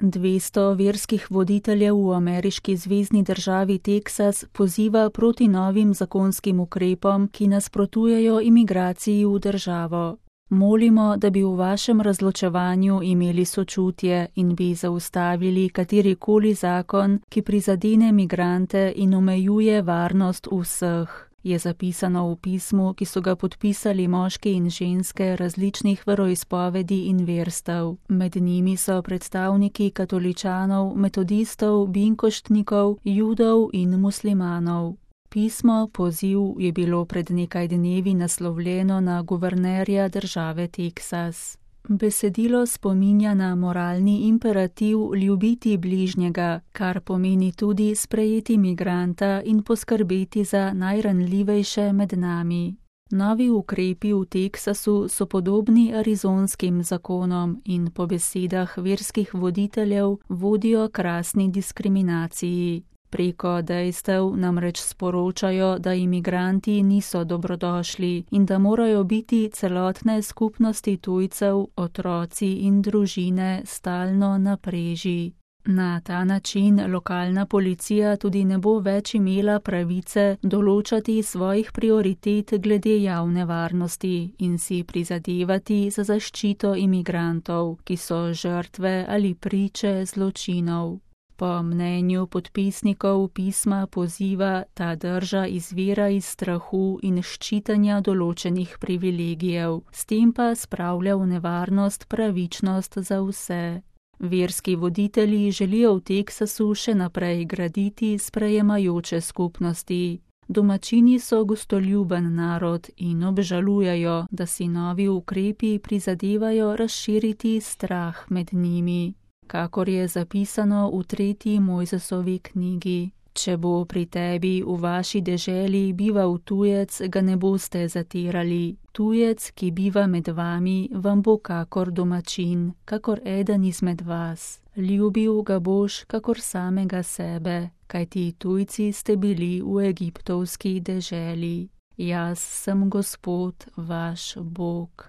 200 verskih voditeljev v ameriški zvezni državi Teksas poziva proti novim zakonskim ukrepom, ki nasprotujejo imigraciji v državo. Molimo, da bi v vašem razločevanju imeli sočutje in bi zaustavili katerikoli zakon, ki prizadene migrante in omejuje varnost vseh, je zapisano v pismu, ki so ga podpisali moški in ženske različnih veroizpovedi in verstev. Med njimi so predstavniki katoličanov, metodistov, binkoštnikov, judov in muslimanov. Pismo, poziv je bilo pred nekaj dnevi naslovljeno na guvernerja države Teksas. Besedilo spominja na moralni imperativ ljubiti bližnjega, kar pomeni tudi sprejeti migranta in poskrbeti za najranljivejše med nami. Novi ukrepi v Teksasu so podobni arizonskim zakonom in po besedah verskih voditeljev vodijo k rasni diskriminaciji. Preko dejstev namreč sporočajo, da imigranti niso dobrodošli in da morajo biti celotne skupnosti tujcev, otroci in družine stalno na preži. Na ta način lokalna policija tudi ne bo več imela pravice določati svojih prioritet glede javne varnosti in si prizadevati za zaščito imigrantov, ki so žrtve ali priče zločinov. Po mnenju podpisnikov pisma poziva ta drža izvira iz strahu in ščitanja določenih privilegijev, s tem pa spravlja v nevarnost pravičnost za vse. Verski voditelji želijo v Teksasu še naprej graditi sprejemajoče skupnosti. Domačini so gostoljuben narod in obžalujejo, da si novi ukrepi prizadevajo razširiti strah med njimi. Kakor je zapisano v 3. Mojzesovi knjigi. Če bo pri tebi v vaši deželi bival tujec, ga ne boste zatirali. Tujec, ki biva med vami, vam bo kakor domačin, kakor eden izmed vas. Ljubil ga boš kakor samega sebe, kajti tujci ste bili v egiptovski deželi. Jaz sem Gospod, vaš Bog.